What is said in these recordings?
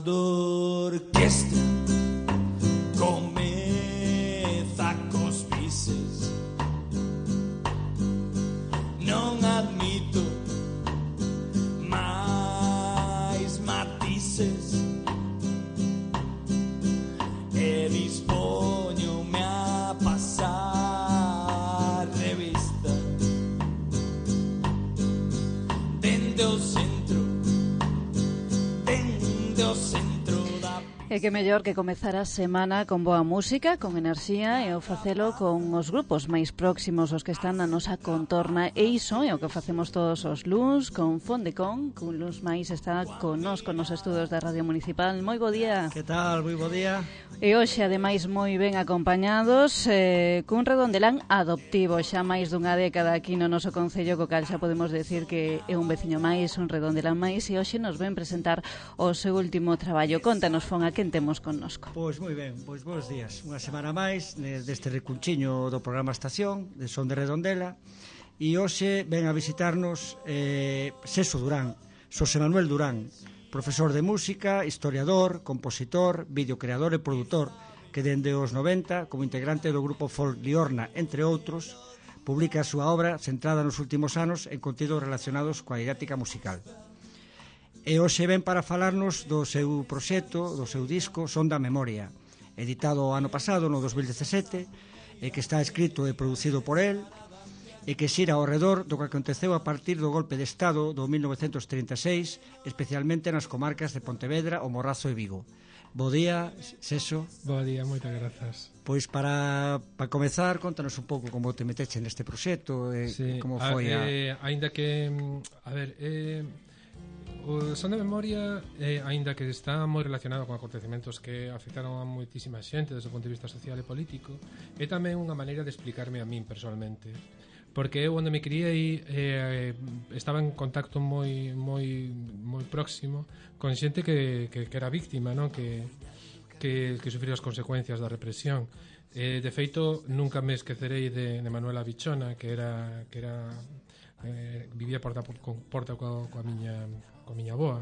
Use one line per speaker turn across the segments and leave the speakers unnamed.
Cando a orquestra comeza cos bises, non admito máis matices e dispóñome a pasar revista dende o centro da.
E que mellor que comezar a semana con boa música, con enerxía e o facelo con os grupos máis próximos, os que están na nosa contorna, e iso é o que facemos todos os luns con Fondecon, que un luns máis está connosco nos estudos da Radio Municipal. Moi bo día.
Que tal? Moi bo día.
E hoxe, ademais, moi ben acompañados cun redondelán adoptivo, xa máis dunha década aquí no noso concello, co cal xa podemos decir que é un veciño máis, un redondelán máis, e hoxe nos ven presentar o seu último traballo. Contanos, Fon, a quen temos connosco.
Pois moi ben, pois bons días. Unha semana máis deste recunchiño do programa Estación, de Son de Redondela, e hoxe ven a visitarnos Seso Durán, Xosé Manuel Durán, profesor de música, historiador, compositor, videocreador e produtor, que dende os 90, como integrante do grupo Folk Liorna, entre outros, publica a súa obra centrada nos últimos anos en contidos relacionados coa didáctica musical. E hoxe ven para falarnos do seu proxecto, do seu disco Son da Memoria, editado o ano pasado, no 2017, e que está escrito e producido por el, e que xira ao redor do que aconteceu a partir do golpe de Estado do 1936, especialmente nas comarcas de Pontevedra, O Morrazo e Vigo. Bo día, Seso.
Bo día, moitas grazas.
Pois para comezar, contanos un pouco como te meteche neste proxecto e
sí,
como foi
aínda que, a ver, o Son de Memoria, aínda que está moi relacionado con acontecementos que afectaron a moitísima xente desde o punto de vista social e político, é tamén unha maneira de explicarme a min personalmente, porque eu onde me criei estaba en contacto moi próximo con xente que era víctima, non? que sufría as consecuencias da represión. De feito, nunca me esquecerei de Manuela Bichona, que era vivía porta coa miña avoa.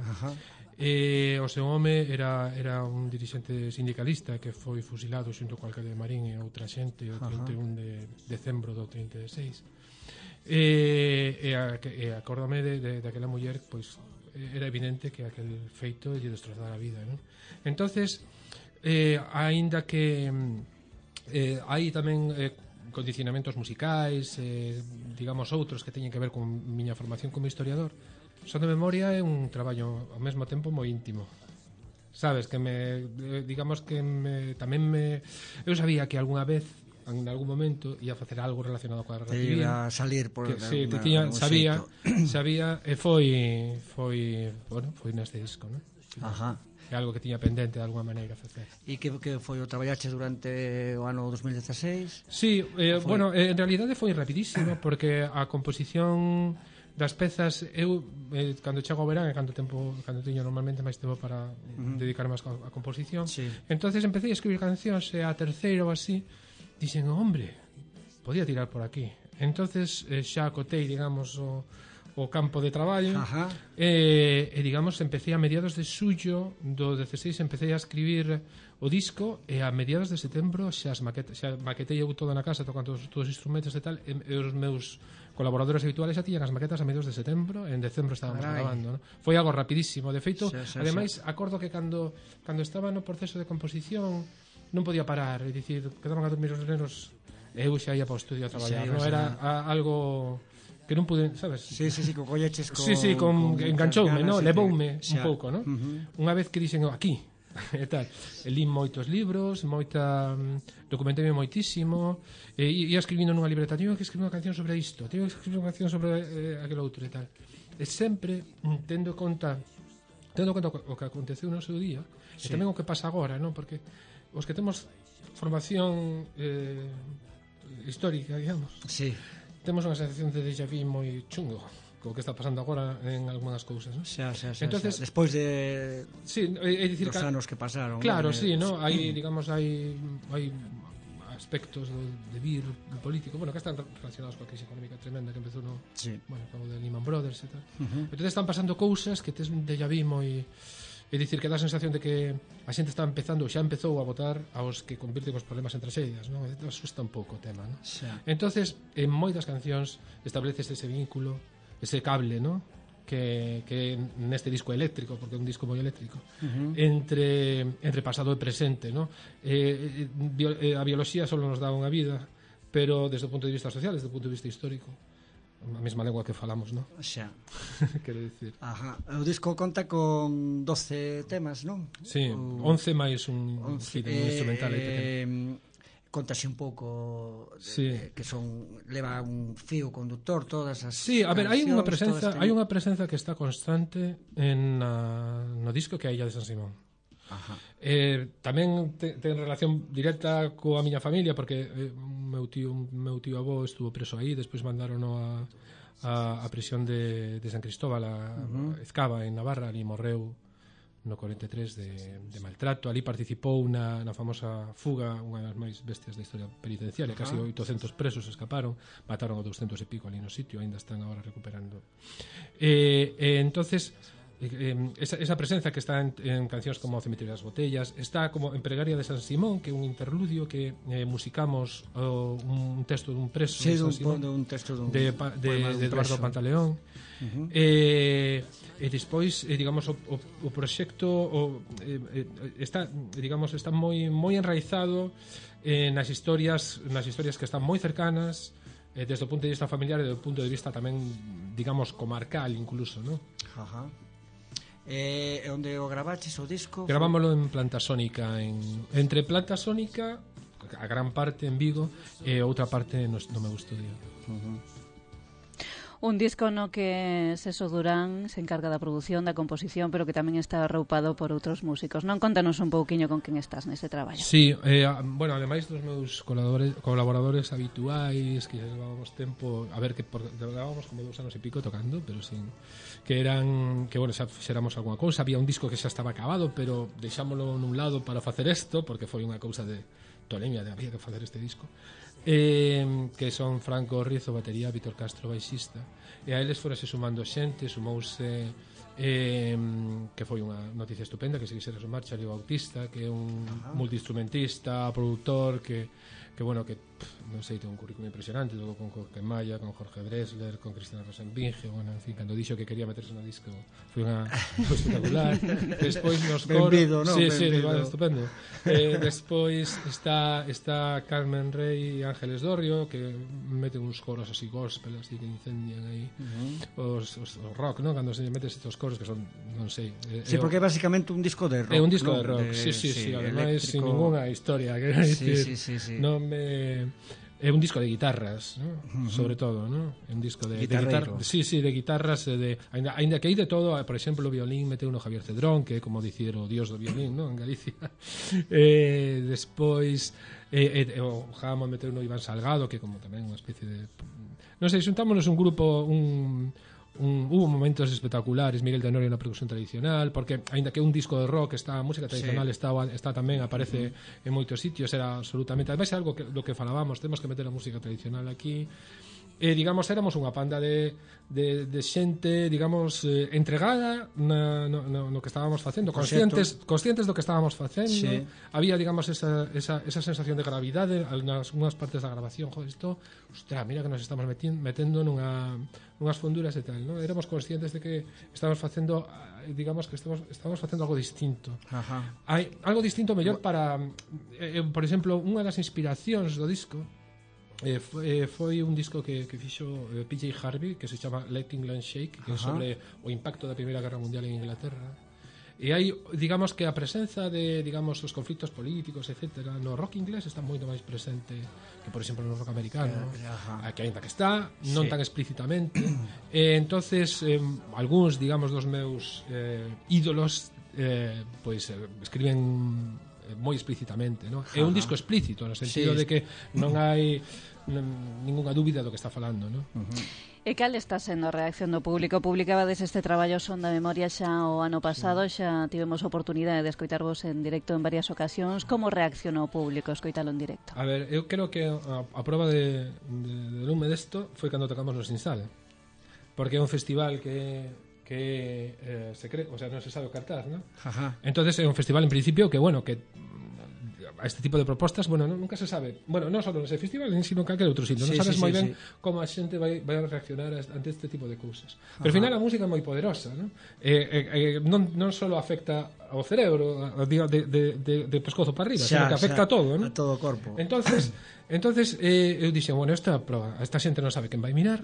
O seu home era un dirixente sindicalista que foi fusilado xunto co alcalde de Marín e outra xente o 31 de decembro do 36. Acórdame de aquela muller, pois era evidente que aquel feito lle destrozara a vida, non? Entonces, aínda que hai tamén condicionamentos musicais, digamos outros que teñen que ver con miña formación como historiador, Son de Memoria é un traballo ao mesmo tempo moi íntimo. Sabes, que eu sabía que algunha vez, en algún momento, ia facer algo relacionado coa guerra civil.
Ia salir por
sabía e foi neste disco, non?
Ajá.
É algo que tiña pendente de alguma maneira facer.
E que foi o traballaches durante o ano 2016?
Sí, bueno, en realidade foi rapidísimo, porque a composición das pezas, eu cando chego ao verán, cando teño normalmente máis tempo para dedicarme á composición,
sí.
Entonces empecé a escribir cancións, e a terceira ou así dixen, hombre, podía tirar por aquí. Entonces xa acotei, digamos, o campo de traballo. E digamos, empecé a mediados de xullo do 16, empecé a escribir o disco, e a mediados de setembro xa maquetei eu todo na casa, tocando todos os instrumentos e tal, e os meus colaboradores habituales xa tiñan as maquetas a mediados de setembro, e en decembro estábamos grabando, ¿no? Foi algo rapidísimo, de feito, ademais, acordo que cando estaba no proceso de composición non podía parar, é dicir, quedaban a dormir os nenos e eu xa ia para o estudio a traballar, non era algo que non pude, sabes?
Sí, co colleches con...
Sí, enganchoume, non? Levoume un pouco, non? Unha vez que dixen aquí, e tal, lín moitos libros, documenteime moitísimo, e ia escribindo nunha libreta, teño que escribir unha canción sobre isto, teño que escribir unha canción sobre aquel outro e tal. E sempre tendo conta o que aconteceu no seu día, e tamén o que pasa agora, non? Porque os que temos formación histórica, digamos, temos unha sensación de déjà vu moi chungo co que está pasando agora en algunhas cousas, non?
Entonces, despois de
dicir,
dos anos que pasaron.
Claro, sí, ¿no? Hai, digamos, hai aspectos de vir político, bueno, que están relacionados coa crise económica tremenda que empezou bueno, co de Lehman Brothers e tal. Entonces están pasando cousas que tes un déjà vu moi É dicir, que dá a sensación de que a xente está empezando, xa empezou a votar aos que convirten os problemas en tragedias, non? Asusta un pouco o tema, non? Entonces, en moitas cancións estableces ese vínculo, ese cable, non? Que neste disco eléctrico, porque é un disco moi eléctrico, entre pasado e presente, non? A bioloxía só nos dá unha vida, pero desde o punto de vista social, desde o punto de vista histórico, a mesma lengua que falamos, non?
Xa.
Quero dicir.
Ajá. O disco conta con 12 temas, non?
Sí, 11 máis un instrumental aí pequeno.
Contase un pouco
sí.
Que son leva un fío conductor todas as
sí, a ver, hai unha presenza que está constante no disco que é a Illa de San Simón.
Ajá.
Tamén ten relación directa coa miña familia porque meu tío avó estuvo preso aí, despois mandárono a prisión de San Cristóbal a Ezcaba en Navarra, ali morreu no 43 de maltrato. Ali participou na famosa fuga, unha das máis bestias da historia penitenciaria. Casi 800 presos escaparon, mataron a 200 e pico ali no sitio, ainda están agora recuperando. Entonces esa presenza que está en cancións como O Cemiterio das Botellas, está como en Pregaria de San Simón, que é un interludio que musicamos un texto dun preso,
sí, un texto
de Eduardo Pantaleón. E despois, digamos, o proxecto está, digamos, está moi enraizado nas historias que están moi cercanas desde o punto de vista familiar e desde o punto de vista tamén, digamos, comarcal incluso, ¿no?
Ajá. Onde o gravaches o disco?
Gravámoslo en Planta Sónica, entre Planta Sónica, a gran parte en Vigo, e outra parte no meu estudio.
Un disco no que Seso Durán se encarga da produción, da composición, pero que tamén está arroupado por outros músicos. Non, contanos un pouquiño con quen estás nese traballo.
Sí, bueno, ademais dos meus colaboradores habituais, que levábamos tempo, a ver, que levábamos como 2 anos e pico tocando, pero sin que eran, que bueno, xa fixéramos algunha cousa. Había un disco que xa estaba acabado, pero deixámoslo nun lado para facer isto, porque foi unha cousa de tolemia, de había que facer este disco. Que son Franco Rizo, batería, Víctor Castro, baixista, e a eles forase sumando xente, sumouse que foi unha noticia estupenda, que se quixera sumar Charlie Bautista, que é un multiinstrumentista, produtor, que bueno, que non sei, ten un currículum impresionante, logo con Jorge Maya, con Jorge Dressler, con Cristina Rosenbinge, bueno, en fin, cando dixo que quería meterse no disco foi espectacular. Despois nos coros,
benvido, ¿no?
Sí, estupendo. Despois está Carmen Rey e Ángeles Dorrio, que meten uns coros así gospel, así que incendian aí os rock, ¿no? Cando se metes estos coros que son, non sei.
Sí, porque é basicamente un disco de rock.
É un disco de rock, sí, ademais sin ninguna historia, quero dicir.
Sí.
É un disco de guitarras, ¿no? Sobre todo, ¿no? É un disco de guitarras, de guitarras, ainda que hai de todo, por exemplo, o violín meteu no Javier Cedrón, que é como dicir o dios do violín, ¿no? En Galicia. Despois o Jamón meteu no Iván Salgado, que como tamén unha especie de, non sei, xuntámonos un grupo, hubo momentos espectaculares. Miguel Tenorio na percusión tradicional, porque aínda que un disco de rock, a música tradicional está tamén, aparece en moitos sitios, era absolutamente, ademais é algo do que falábamos, temos que meter a música tradicional aquí. Digamos, éramos unha panda de xente, digamos, entregada no que estábamos facendo, conscientes do que estábamos facendo. Sí. Había, digamos, esa sensación de gravidade nas unhas partes da grabación. Joder, isto, ostras, mira que nos estamos metendo nunhas fonduras e tal, ¿no? Éramos conscientes de que estábamos facendo, digamos, que estamos facendo algo distinto.
Ajá.
Hai algo distinto mellor para, por exemplo, unha das inspiracións do disco foi un disco que fixo PJ Harvey, que se chama Let England Shake, que é sobre o impacto da Primeira Guerra Mundial en Inglaterra. E hai, digamos, que a presenza de, digamos, os conflictos políticos, etcétera, no rock inglés está moito máis presente que, por exemplo, no rock americano, que ainda que está, non tan explícitamente. Entonces, algúns, digamos, dos meus ídolos pois escriben moi explícitamente, ¿no? É un disco explícito no sentido de que non hai ninguna dúbida do que está falando, ¿no?
E cal está sendo a reacción do público? Publicabades este traballo Son da Memoria xa o ano pasado, xa tivemos oportunidade de escoitarvos en directo en varias ocasións. Como reaccionou o público escoitalo en directo?
A ver, eu creo que a prova de lume desto foi cando tocamos no Sinsal, porque é un festival que que secreto, o sea, non se sabe o cartaz, ¿no?
Ajá.
Entonces é un festival en principio que, bueno, que a este tipo de propostas, bueno, nunca se sabe. Bueno, non só nese festival, sino en calquer outro sitio. Non sabes moi ben como a xente vai a reaccionar ante este tipo de cousas. Pero ao final a música é moi poderosa, ¿no? Non só afecta ao cerebro, de pescozo para arriba, sino que afecta a todo, ¿no?
A todo o corpo.
Entonces eu dixen, bueno, esta xente non sabe quen vai mirar,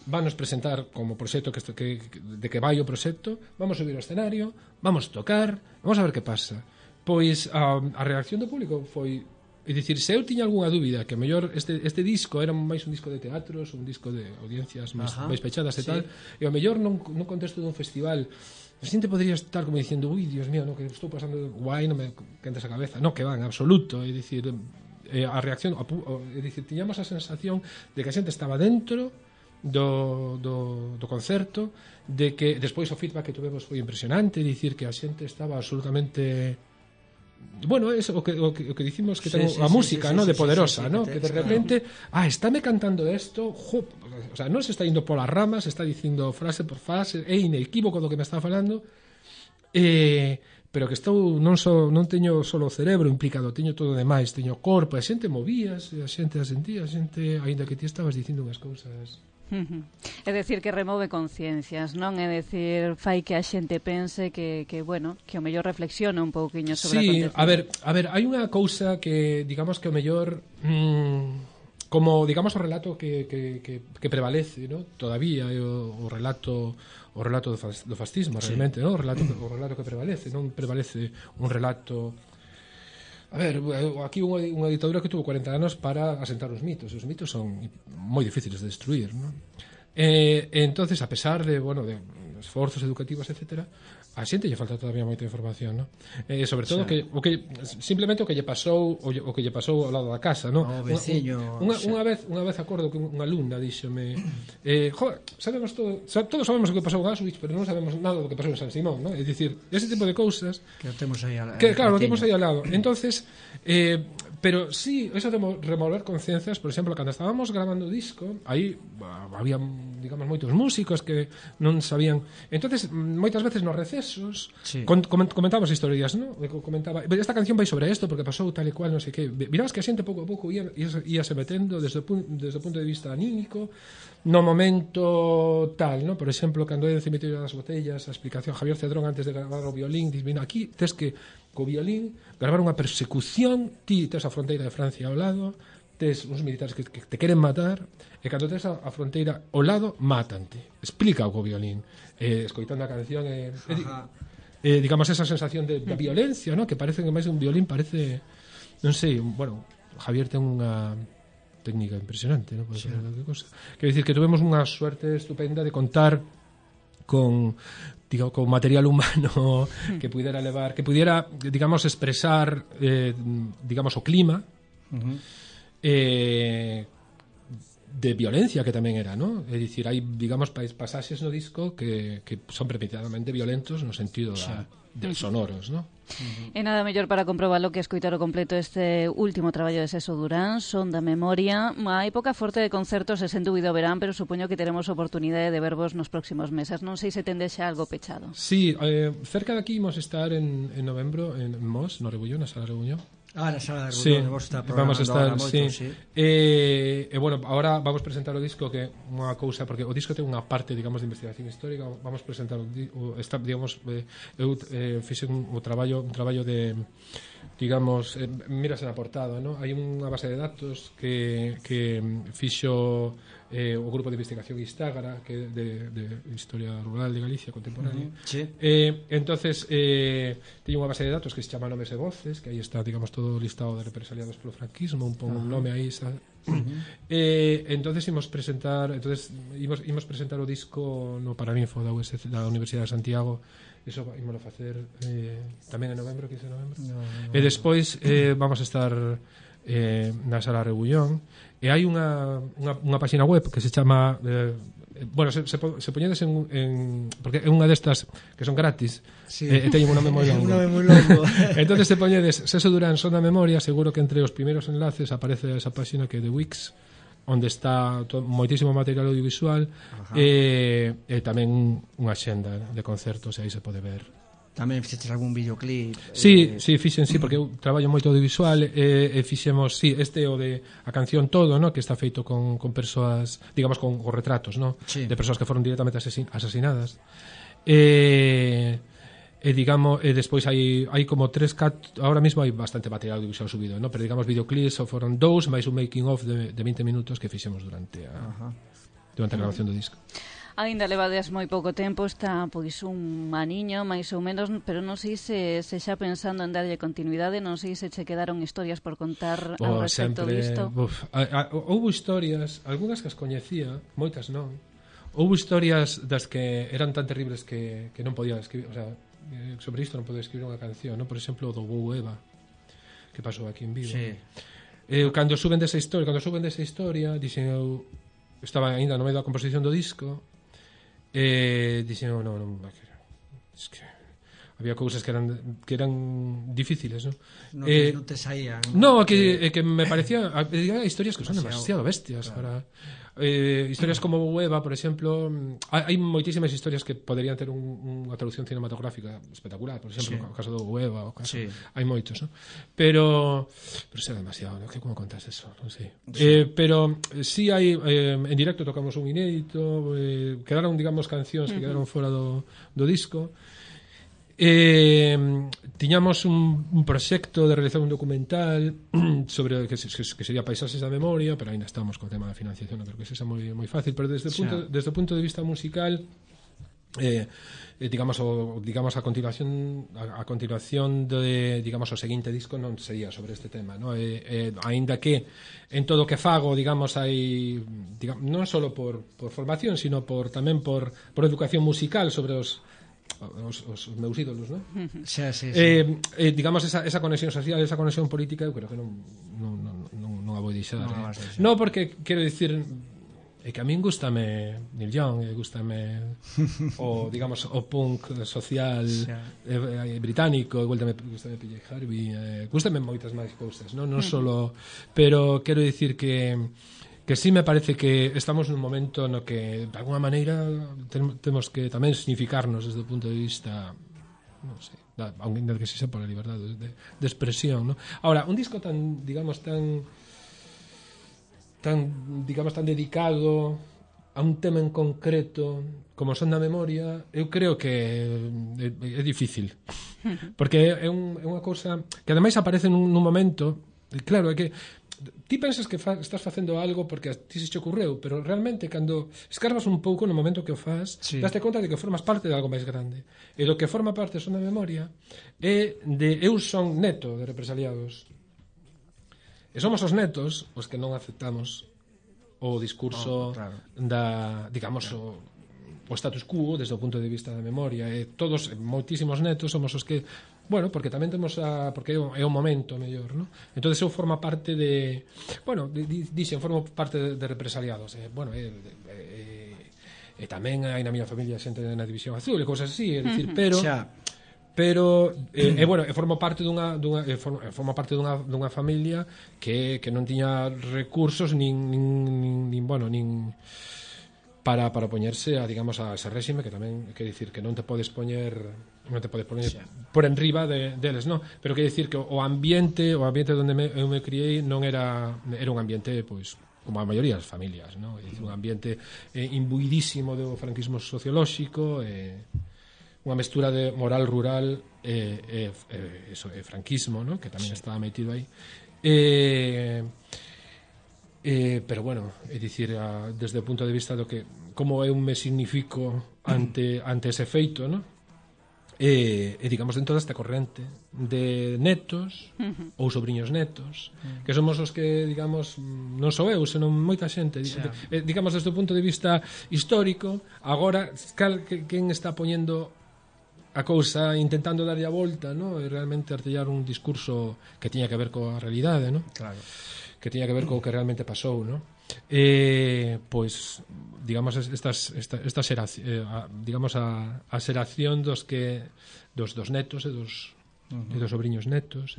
vanos presentar como proxecto de que vai o proxecto, vamos subir ao escenario, vamos tocar, vamos a ver que pasa. Pois a reacción do público foi, é dicir, se eu tiña algunha dúbida que a mellor este disco era máis un disco de teatros, un disco de audiencias máis pechadas e tal, e ao mellor nun contexto dun festival a xente podría estar como dicindo, ui, Dios mío, no, que estou pasando guai, non me quentes a cabeza. No, que van, absoluto, é dicir, a reacción, é dicir, tiñamos a sensación de que a xente estaba dentro do concerto, de que despois o feedback que tuvemos foi impresionante, é dicir, que a xente estaba absolutamente... Bueno, es o que dicimos que ten a música, ¿no? De poderosa, ¿no? Que de repente, estáme cantando esto, o sea, non se está indo polas ramas, está dicindo frase por frase, é inequívoco do que me está falando, pero que estou non teño solo o cerebro implicado, teño todo o demais, teño o corpo, a xente movíase, a xente a sentía, a xente, aínda que ti estabas dicindo unhas cousas.
É decir, que remove conciencias, non? É decir, fai que a xente pense que bueno, que o mellor reflexiona un pouquiño sobre
a acontecimiento. A ver, hai unha cousa que, digamos que o mellor como, digamos, o relato que prevalece, ¿no? Todavía é o relato do fascismo, realmente, ¿no? O relato que prevalece, non prevalece un relato. A ver, aquí unha ditadura que tuvo 40 anos para asentar os mitos. Os mitos son moi difíciles de destruir, ¿no? Entonces, a pesar de, bueno, de esforzos educativos, etcétera, a xente lle falta todavía moita información, ¿no? Sobre todo simplemente o que lle pasou ao lado da casa, ¿no?
O veciño.
Unha vez acordo que unha alumna díxome, sabemos todos sabemos o que pasou en Auschwitz, pero non sabemos nada do que pasou en San Simón, ¿no? É dicir, ese tipo de cousas
que o temos aí al
claro, lo temos aí al lado. Entonces, pero sí, eso de remover conciencias, por exemplo, cando estábamos grabando o disco, aí había, digamos, moitos músicos que non sabían. Entonces, moitas veces nos recesos comentábamos historias, ¿no? Comentaba, esta canción vai sobre isto porque pasou tal e cual, non sei que. Mirabas que a xente pouco a pouco íase metendo desde o punto de vista anímico no momento tal, ¿no? Por exemplo, cando é en Cemiterio das Botellas, a explicación Javier Cedrón antes de gravar o violín, diz, mira, aquí tes que co violín gravar unha persecución, ti tes a fronteira de Francia ao lado, tes uns militares que te queren matar, e cando tes a fronteira ao lado, mátante. Explica o co violín, escoitando a canción, digamos, esa sensación de violencia, ¿no? Que parece que máis un violín parece, non sei, bueno, Javier ten unha técnica impresionante, ¿no? Pode ser calquer cosa. Quero dicir que tuvemos unha suerte estupenda de contar con material humano que pudiera digamos, expresar digamos, o clima de violencia que tamén era, ¿no? É dicir, hai, digamos, pasaxes no disco que son premeditadamente violentos no sentido de sonoros, ¿no?
E nada mellor para comprobalo que escoitar o completo este último traballo de Seso Durán, Son da Memoria. Hai época forte de concertos e sen dúbida o verán, pero supoño que teremos oportunidade de vervos nos próximos meses. Non sei se tendes xa algo pechado.
Sí, cerca de aquí imos estar en novembro en Mos, no Rebullón, na Sala Rebullón.
Na Sala de Rebullón,
vamos a estar, sí. Bueno, ahora vamos presentar o disco, que unha cousa, porque o disco ten unha parte, digamos, de investigación histórica. Vamos presentar digamos, eu fixen un traballo de, digamos, miras na portada, ¿no? Hai unha base de datos que fixo o grupo de investigación Istágara, que de historia rural de Galicia contemporánea. Entonces teño unha base de datos que se chama Nomes e Voces, que aí está, digamos, todo o listado de represaliados polo franquismo, un pouco un nome aí, entonces imos presentar o disco no Paraninfo da Universidade de Santiago. Eso ímolo facer tamén en novembro, 15 de novembro. E despois vamos a estar na Sala Rebullón, e hai unha página web que se chama bueno, se poñedes porque é unha destas que son gratis, e teñen un nome moi longo. Entonces se poñedes Seso Durán, Son da Memoria, seguro que entre os primeiros enlaces aparece esa página que é de Wix, onde está moitísimo material audiovisual e tamén unha xenda de concertos, e aí se pode ver.
Tamén fixeches algún videoclip?
Sí, fixen, porque eu traballo moito audiovisual e fixemos, este o de a canción todo, no? Que está feito con persoas, digamos, con retratos, no?
Sí.
De persoas que foron directamente asasinadas. E digamos, despois hai como 3, 4, ahora mismo hai bastante material audiovisual subido, no? Pero digamos videoclips foron 2 máis un making of de 20 minutos que fixemos durante a grabación do disco.
Ainda levades moi pouco tempo, está pois un aniño máis ou menos, pero non sei se xa pensando en darlle continuidade, non sei se che quedaron historias por contar ao respecto disto.
Houve historias, algunhas que as coñecía, moitas non. Houve historias das que eran tan terribles que non podía escribir, o sea, sobre isto non podía escribir unha canción, no? Por exemplo, o do Bou Eva, que pasou aquí en Vigo.
Sí.
Cando suben desa historia, dixen eu, estaba ainda no medio da composición do disco, dixen eu, non, es que había cousas que eran difíciles, non?
Non te saían.
No, que me parecía historias que son demasiado bestias, claro. Historias como Eva, por exemplo, hai moitísimas historias que poderían ter unha traducción cinematográfica espectacular, por exemplo, o caso do Eva, hai moitos, ¿no? Pero será demasiado, ¿no? Como contas eso? Non sei. Pero sí hai, en directo tocamos un inédito, quedaron, digamos, cancións que quedaron fora do disco. Tiñamos un proxecto de realizar un documental sobre que sería Paisaxes da Memoria, pero ainda estamos co tema da financiación, non creo que sexa moi fácil, pero desde o punto de vista musical, digamos a continuación de, digamos, o seguinte disco non sería sobre este tema, ¿no? Aínda que en todo o que fago, digamos, hai, non só por formación, sino tamén por educación musical sobre os meus ídolos, ¿no?
Sí.
Digamos, esa conexión social, esa conexión política, eu creo que non a vou deixar. Non, porque, quero dicir, é que a min gústame Neil Young, gústame o, digamos, o punk social británico, gústame PJ Harvey, gústame moitas máis cousas, non solo, pero quero dicir que sí me parece que estamos nun momento no que, de alguna maneira, temos que tamén significarnos desde o punto de vista, non sei, aunque que sexa por a liberdade de expresión, ¿no? Ahora, un disco tan dedicado a un tema en concreto como Son da Memoria, eu creo que é difícil, porque é unha cousa que ademais aparece nun momento, claro, é que ti pensas que estás facendo algo porque a ti se che ocurreu, pero realmente cando escarbas un pouco no momento que o faz, daste conta de que formas parte de algo máis grande, e do que forma parte Son da Memoria é de eu son neto de represaliados, e somos os netos os que non aceptamos o discurso da, digamos, o status quo desde o punto de vista da memoria, e todos, moitísimos netos, somos os que, bueno, porque tamén temos porque é o momento mellor, ¿no? Entonces eu formo parte de, bueno, dixen, formo parte de represaliados, bueno, tamén hai na miña familia xente na División Azul e cousas así, é dicir, pero bueno, formo parte dunha familia que non tiña recursos nin para opoñerse a, digamos, a ese réxime, que tamén quer dicir que non te podes poñer por enriba deles, non? Pero quer dicir que o ambiente onde eu me criei non era un ambiente, pois, como a maioría das familias, non? É dicir, un ambiente imbuidísimo do franquismo sociolóxico, unha mestura de moral rural e franquismo, non? Que tamén estaba metido aí. Pero bueno, é dicir, desde o punto de vista do que como eu me significo ante ese feito, non? Digamos, dentro desta corrente de netos ou sobriños netos, que somos os que, digamos, non sou eu, senón moita xente, digamos, desde o punto de vista histórico, agora quen está poñendo a cousa, intentando darlle a volta, non? E realmente artellar un discurso que tiña que ver coa realidade, non? Claro. Que tiña que ver co que realmente pasou, non? Pois, digamos, digamos, a xeración dos netos e e dos sobrinhos netos.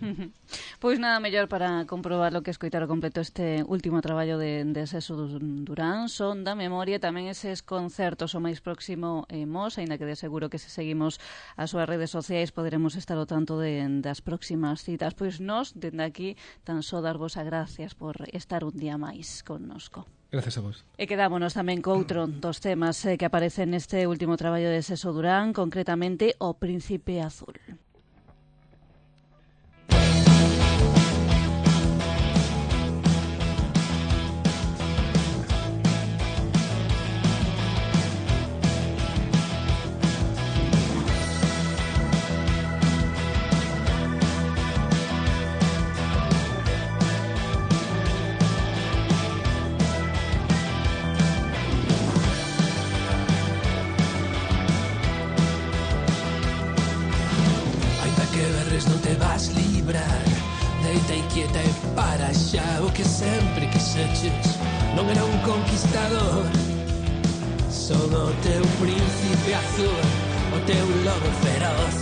Pois nada mellor para comprobar lo que escoitar o completo este último traballo de Seso Durán, Son da Memoria, tamén eses concertos o máis próximo Mos, aínda que de seguro que se seguimos as súas redes sociais poderemos estar ao tanto das próximas citas. Pois nós, dende aquí, tan só darvos as gracias por estar un día máis connosco.
Gracias a vos.
E quedámonos tamén co outro dos temas que aparecen neste último traballo de Seso Durán, concretamente O Príncipe Azul.
Non te vas librar, deita e quieta e para xa. O que sempre quixeches non era un conquistador. Son o teu príncipe azul, o teu lobo feroz.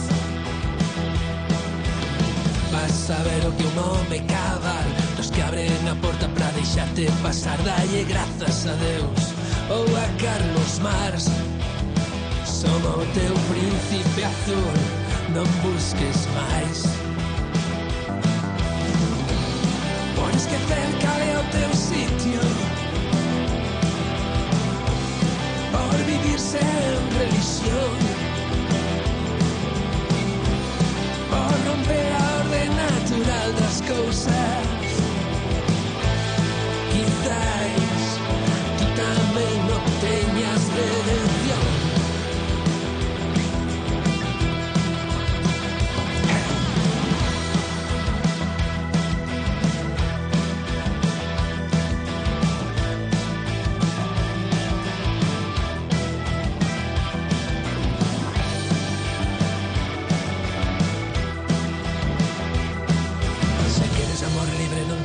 Vas a ver o que un home cabal, dos que abren a porta pra deixarte pasar. Dalle grazas a Deus ou a Carlos Mars. Son o teu príncipe azul, non busques máis. Por esquecer cal é o teu sitio, por vivir sen religión, por romper a orden natural das cousas. Quizás tú tamén non teñas redención.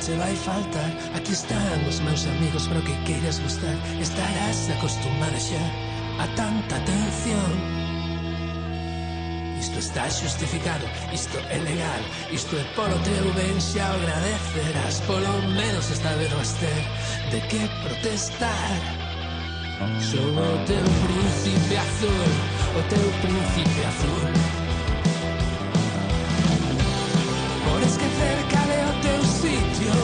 Te vai faltar, aquí están os meus amigos para o que queiras gustar. Estarás acostumada xa a tanta atención. Isto está xustificado, isto é legal, isto é polo teu ben, xa o agradecerás. Polo menos esta vez vas ter de que protestar. Son o teu príncipe azul, o teu príncipe azul. Por esquecer cal é o teu sitio,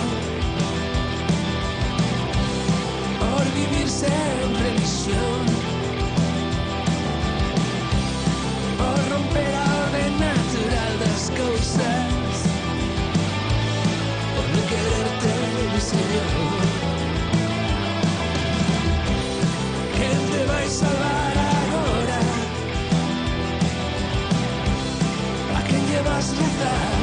por vivir sen religión, por romper a orden natural das cousas, por non quererte mi señor. Quen te vai salvar agora? A quen lle vas rezar?